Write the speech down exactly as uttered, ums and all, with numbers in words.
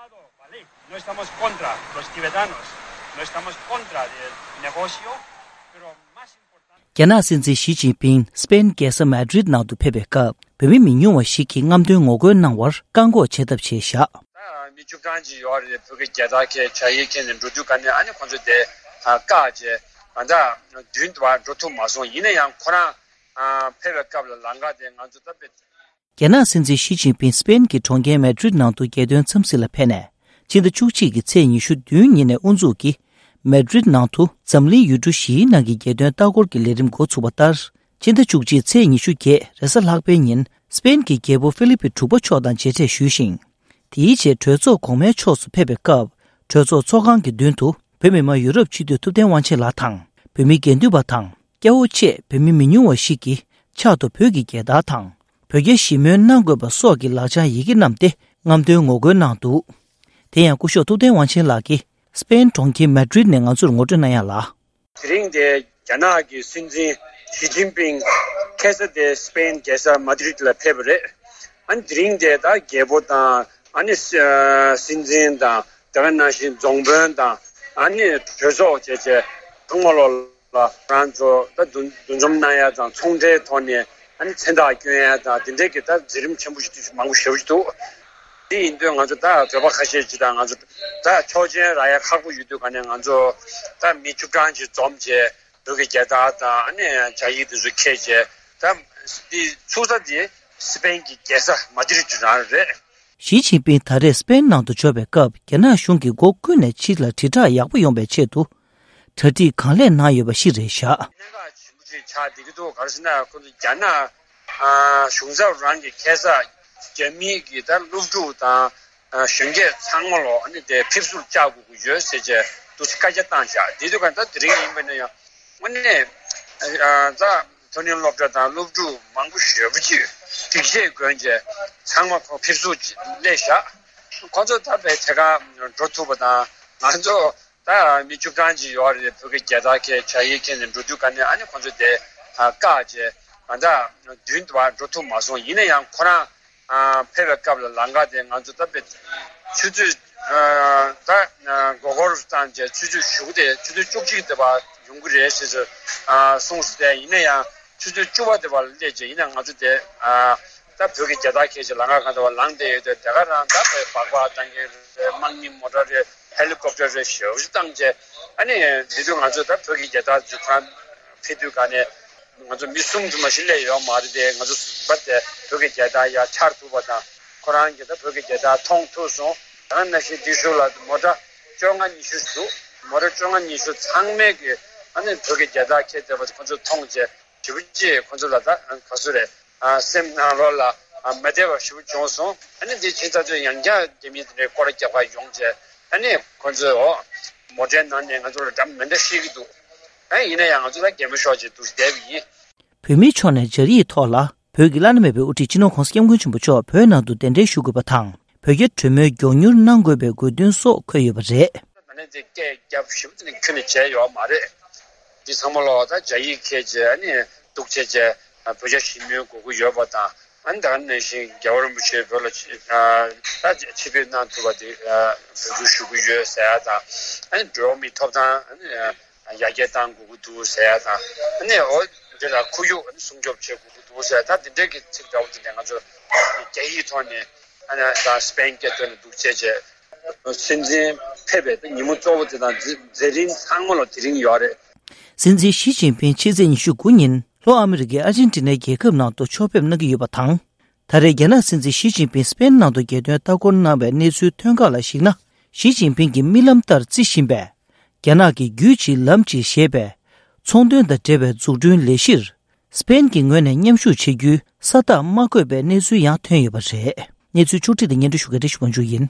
Vale, no estamos contra los tibetanos, no estamos contra del negocio, pero más importante. རྒྱ་ནག་སྲིད་འཛིན་ཞི་ཅིན་ཕིང་སི་པེན་རྒྱལ་ས་མེ་ཌི་རིད་ནང་དུ་ཕེབས་པའི་སྐབས། བོད་མི་མི་ཉུང་བ་ཞིག་གིས་རྔམ་སྟོན་ངོ་རྒོལ་གནང་བར་བཀག་འགོག་བྱེད་ཐབས་བྱས་བཞག་ད་མི་བཅུ་གྲངས་ཅིག་ཡོད་རེད། བོད་ཀྱི་རྒྱལ་དར་འཁྱེར། ཇ་ཡིས་འཁྱེར་ནས་འགྲོ་དུས་ག་ནས་ཨ་ནི་ཁོང་ཚོས་དེ་བཀག་བྱས། ད་ལྟ་མདུན་དུ་བ་འགྲོ་ཐུབ་མ་སོང་། ཡིན་ན་ཡང་ཁོ་རང་ཕེབས་པའི་སྐབས་ལ་ལམ་ཁ་དེ་ང་ཚོ་ད་དཔེ། རྒྱ་ནག་སྲིད་འཛིན་ཞི་ཅིན་ཕིང་སི་པེན་གྱི་གྲོང་ཁྱེར་མེ་ཌི་རིད་ནང་དུ་རྒྱལ་དོན་འཚམས་གཟིགས་ལ་ཕེབས་ནས། ཕྱི་ཟླ་བཅུ་གཅིག་གི་ཚེས་ཉི་ཤུ་བདུན་ཉིན་ནས་དབུ་འཛུགས་ཀྱིས། མེ་ཌི་རིད་ནང་དུ་འཛམ་གླིང་ཡུལ་གྲུ་བཞིའི་ནང་གི་རྒྱལ་དོན་ལྟ་སྐོར་གྱི་ལས་རིམ་འགོ་ཚུགས་པ་ལྟར། ཕྱི་ཟླ་བཅུ་གཅིག་ཚེས་ཉི་ཤུ་བརྒྱད་རེས་གཟའ་ལྷག་པའི་ཉིན་སི་པེན་གྱི་རྒྱལ་པོ་ཧྥི་ལི་པི་དྲུག་པ་མཆོག་དང་མཇལ་འཕྲད་ཞུས་ཤིང་། དེའི་རྗེས་གྲོས་ཚོགས་གོང་མའི་ཕྱོགས་སུ་ཕེབས་པའི་སྐབས། གྲོས་ཚོགས་ཚོགས་ཁང་གི་མདུན་དུ་བོད་མི་མང་ཡུ་རོབ་སྤྱི་འཐུས་ཐུབ་བསྟན་དབང་ཆེན་ལགས་དང་། བོད་མི་དགེ་འདུན་པ་དང་། སྐྱ་བོ་བཅས་བོད་མི་མི་ཉུང་བ་ཞིག་གིས་ཕྱག་ཏུ་བོད་ཀྱི་རྒྱལ་དར་དང་། བོད་རྒྱ་ཞི་མོལ་གནང་དགོས་པ་སོགས་ཀྱི་ལག་བཅངས་ཡི་གེ་བསྣམས་ཏེ་རྔམ་སྟོན་ངོ་རྒོལ་གནང་འདུག་དེ་ཡང་སྐུ་ཞབས་ཐུབ་བསྟན་དབང་ཆེན་ལགས་ཀྱིས་སི་པེན་གྲོང་ཁྱེར་མེ་ཌི་རིད་ནས་ང་ཚོར་ངོ་སྤྲོད་གནང་ཡ་ལ། དེ་རིང་དེ་རྒྱ་ནག་གི་སྲིད་འཛིན་ཞི་ཅིན་ཕིང་ཁ་སང་དེ་སི་པེན་རྒྱལ་ས་མ་ཏི་རིད་ལ་ཕེབས་པ་རེད། ཨ་ནི་དེ་རིང་དེ་ད་རྒྱལ་པོ་དང་། ཨ་ནི་སྲིད་འཛིན་དང་། དེ་ག་ནང་བཞིན་རྫོང་དཔོན་དང་། ཨ་ནི་གྲོས་ཚོགས་བཅས་བཅས་ཚང་མ་ལོག་ལ་ང་ཚོ་ད་འདུ་འདུ་འཛོམས་གནང་ཡ་དང་། ཚོང་འབྲེལ་ཐོག་ནས་ཨ་ནི་མཚན་རྟགས་སྐྱོན་ཡ་དང་། དེ་འདྲའི་གི་ད་མཛད་རིམ་ཆེན་པོ་ཞིག་ཏུ་མང་པོ་ཞེ་པོ་ཞིག་འདུག་དེ་ཡིན་དུས་ང་ཚོ་ད་བོད་པ་ཁ་ཤས་ཅིག་དང་། ང་ཚོ་ད་ཆོག་མཆན་རག་ཡ་ཁག་པོ་ཡོད་དུས་ག་ནས་ང་ཚོ་ད་མི་བཅུ་གྲངས་ཅིག་འཛོམས་བྱས། བོད་ཀྱི་རྒྱལ་དར་དང་། ཨ་ནི་ཇ་ཡིག་དེ་ཚོ་འཁྱེར་བྱས། ད་འདི་ཚུགས་ས་དེ་སི་པེན་གྱི་རྒྱལ་ས་མ་ཏི་རིད་རང་རེད། ཞི་ཅིན་ཕིང་ད་རེས་སི་པེན་ནང་དུ་འབྱོར་བའི་སྐབས། རྒྱ་ནག་གཞུང་གིས་སྒོ་ཀུན་ནས་ཕྱི་ལ་དྲིལ་བསྒྲགས་ཡག་པོ་ཡོང་བའི་ཆེད་དུ། གྲ་སྒྲིག་གང་ལེགས་གནང་ཡོད་པ་ཞིག་རེད་བཞག་གནད་འགག་ཆེན་པོ་ཅིག་ཆགས་བསྡད་ཀྱི་འདུག་ག་རེ་ཟེར་ན། ཁོ་ཚོ་རྒྱ་ནག་ཨ་གཞུང་ཚབ་རང་གི་ཁ་སང་རྒྱ་མིའི་གི་ད་སློབ་ཕྲུག་དང་། ཨ་གཞོན་སྐྱེས་ཚང་མ་ལོ་ཨ་ནི་དེ་ཕེབས་བསུར་བཅར་དགོས་ཀྱི་ཡོད་ཟེར་བྱས་འདུག་སེ་བཀའ་རྒྱ་བཏང་བཞག་དེ་དུས་ག་ད་དེ་རིང་ཡིན་པ་ན་ཡང་། དངོས་གནས་ཨ་ད་མཐོ་རིམ་སློབ་གྲྭ་དང་སློབ་ཕྲུག་མང་པོ་ཞེ་པོ་ཅིག་སྒྲིག་ཆས་གོན་བྱས་ཚང་མ་ཁོ་ཕེབས་བསུར་སླེབས་བཞག་ཁོ་ཚོ་ད་བས་དེ་ག་འགྲོ་ཐུབ་པ་དང་། ང་ཚོ་ད་མི་བཅུ་གྲངས་ཅིག་ཡོད་རེད། བོད་ཀྱི་རྒྱལ་དར་འཁྱེར། ཇ་ཡིག་འཁྱེར་ནས་འགྲོ་དུས་ག་ནས་ཨ་ནི་ཁོ་ཚོས་དེ་བཀག་བྱས། ང་ད་མདུན་དུ་བ་འགྲོ་ཐུབ་མ་སོང་། ཡིན་ན་ཡང་ཁོ་རང་ཕེབས་པའི་སྐབས་ལ་ལམ་ཁ་དེ་ང་ཚོ་ད་དཔེ་ཆུ་ཚོད་ད་མགོ་སྐོར་བཏང་བྱས་ཆུ་ཚོད་གཞུག་དེ་ཆུ་ཚོད་བཅུ་གཅིག་དེ་བ་ཡོང་གི་རེད་ཟེར་ཟེར་གསུངས་སོང་། དེ་ཡིན་ན་ཡང་ཆུ་ཚོད་བཅུ་པ་དེ་བ་ལ་སླེབས་བྱས། ཡིན་ན་ང་ཚོ་དེ། ད་བོད་ཀྱི་རྒྱལ་དར་འཁྱེར་བྱས་ལམ་ཁ་གང་དུ་བ་ལངས་བསྡད་ཡོད་དུས། དེ་ག་རང་ད་བོད་སྦག་སྦག་བཏང་གི་རེད། དམག་མི་མོ་ཊ་རེད། ཧེ་ལི་ཀོབ་ཊར་རེད། ཞེ་པོ་ཅིག་བཏང་བྱས། ཨ་ནི་འདི་དུས་ང་ཚོ་ད་བོད་ཀྱི་རྒྱལ་དར་འཛུགས་ཁང་ཕེབས་དུས་ག་ནས་ང་ཚོ་མི་གསུམ་དུ་མ་ཞིག་སླེབས་ཡོད་མ་རེད་དེ། ང་ཚོ་བ་དེ་བོད་ཀྱི་རྒྱལ་དར་ཡར་འཕྱར་ཐུབ་པ་དང་། ཁོ་རང་གིས་ད་བོད་ཀྱི་རྒྱལ་དར་མཐོང་ཐུབ་སོང་། ད་ནང་བཞིན་འདི་ཞོར་ལ་མོ་ཊ་བཅོ་ལྔ་ཉི་ཤུ་འདུག་མོ་ཊ་བཅོ་ལྔ་ཉི་ཤུ་ཚང་མས་ཀྱི་ཨ་ནི་བོད་ཀྱི་རྒྱལ་དར་འཁྱེར་བསྡད་པ་དེ་ཁོ་ཚོས་མཐོང་བྱས། ཞེ་པོ་ཅིག་ཁོ་ཚོ་ལ་ད་ག་ཚོད་རེད། ཨ་སེམས་ནང་ལོགས་ལ་ཨ་མ་བདེ་བ་ཞེ་པོ་བྱུང་སོང་། ཨ་ནི་དེ་ཕྱིན་ཚར་དུས་ཡང་བསྐྱར་རྒྱ་མི་དེ་འདྲའི་སྐོར་ར་རྒྱག་པ་ཡོང་བྱས། ཨ་ནི་ཁོ་ཚོས་འོ་མོ་ཊའི་ནང་ནས་ང་ཚོ་ལ་འདྲ་མི་འདྲ་བཤད་ཀྱི་འདུག་ཨ་ཡིན་ན་ཡང་ང་ཚོ་ད་གད་མོ་ཤོར་བྱས་འདུག་བསྡད་པ་ཡིན། བོད་མིའི་ཕྱོགས་ནས་སྦྱར་ཡིག་ཐོག་ལ། བོད་ཀྱི་བླ་ན་མེད་པའི་དབུ་ཁྲིད་སྤྱི་ནོར་༧གོང་ས་༧སྐྱབས་མགོན་ཆེན་པོ་མཆོག་བོད་ནང་དུ་གདན་འདྲེན་ཞུ་དགོས་པ་དང་། བོད་རྒྱ་གྲོས་མོལ་མགྱོགས་མྱུར་གནང་དགོས་པའི་དགོས་འདུན་སོགས་འཁོད་ཡོད་པ་རེད། ད་ནི་དེ་སྐད་རྒྱབ་ཞིབ་ཏུ་ནི་ཁྱོན་ནས་བྱས་ཡོད་མ་རེད། འདི་ཚང་མ་ལོག་ད་རྒྱ་ཡིག་ཁྱེད་ཀྱིས་ཨ་ནི་འདུག་བྱས་བྱས་བོད་རྒྱ་ཞི་མོལ་དགོས་ཀྱི་ཡོད་པ་དང་། ཨ་ནི་ད་ག་ནང་བཞིན་རྒྱལ་བ་རིན་པོ་ཆེ་བོད་ལ་ཆེ་ད་ཆེད་ཕེབས་གནང་ཐུབ་པ་དེ་འབོད་སྐུལ་ཞུ་གི་ཡོད་ཟེར་ཡ་དང་། ཨ་ནི་འགྲོ་བ་མིའི་ཐོབ་ཐང་ཨ་ནི་ཡར་རྒྱས་གཏང་དགོས་ཀྱི་འདུག་ཟེར་ཡ་དང་། ཨ་ནི་འོ་འདི་ལ་ཁོར་ཡུག་ཨ་ནི་སྲུང་སྐྱོབ་བྱེད་དགོས་ཀྱི་འདུག་ཟེར། ད་འདི་འདྲའི་གི་ཚིག་འདྲ་བོ་དེ་འདྲ་ང་ཚོ་རྒྱ་ཡིག་ཐོག་ནས་ཨ་ནི་ད་སི་པེན་སྐད་ཐོག་ནས་འདུག་བྱས་བྱས། སྲིད་འཛིན་ཕེབས་པའི་ཉིན་མོ་གཙོ་བོ་དེ་དང་མཛད་མཛད་རིམ་ཚང་མ་ལ་དེ་རིང་ཡོད་རེད། སྲིད་འཛིན་ཞི་ཅིན་ཕིང་ཕྱི་ཚེས་ཉི་ཤུ་དགུ་ཉིན་ལྷོ་ཨ་མི་རི་ཀའི་ཨར་ཇན་ཏི་ནའི་རྒྱལ་ཁབ་ནང་དུ་ཕྱོགས་ཕེབས་གནང་གི་ཡོད་པ་དང་། ད་རེས་རྒྱ་ནག་སྲིད་འཛིན་ཞི་ཅིན་ཕིང་སི་པེན་ནང་དུ་རྒྱལ་དོན་ལྟ་སྐོར་གནང་བའི་གནས་ཚུལ་ཐོན་ཁག་ལ་གཞིགས་ན། ཞི་ཅིན་ཕིང་གིས་རྨི་ལམ་ལྟར་བརྩི་བཞིན་པའི། རྒྱ་ནག་གི་རྒྱུད་གཅིག་ལམ་གཅིག་ཞེས་པའི། ཚོང་དོན་དང་འབྲེལ་བའི་འཛུགས་སྐྲུན་ལས་གཞིར། སི་པེན་གྱི་ངོས་ནས་མཉམ་ཞུགས་བྱེད་རྒྱུའི་ས་རྟགས་མ་བཀོད་པའི་གནས་ཚུལ་ཡང་ཐོན་ཡོད་པ་རེད། གནས་ཚུལ་ཕྱོགས་སྒྲིག་དང་སྙན་སྒྲོན་ཞུ་མཁན་བཀྲ་ཤིས་དབང་ཕྱུག་ཡིན།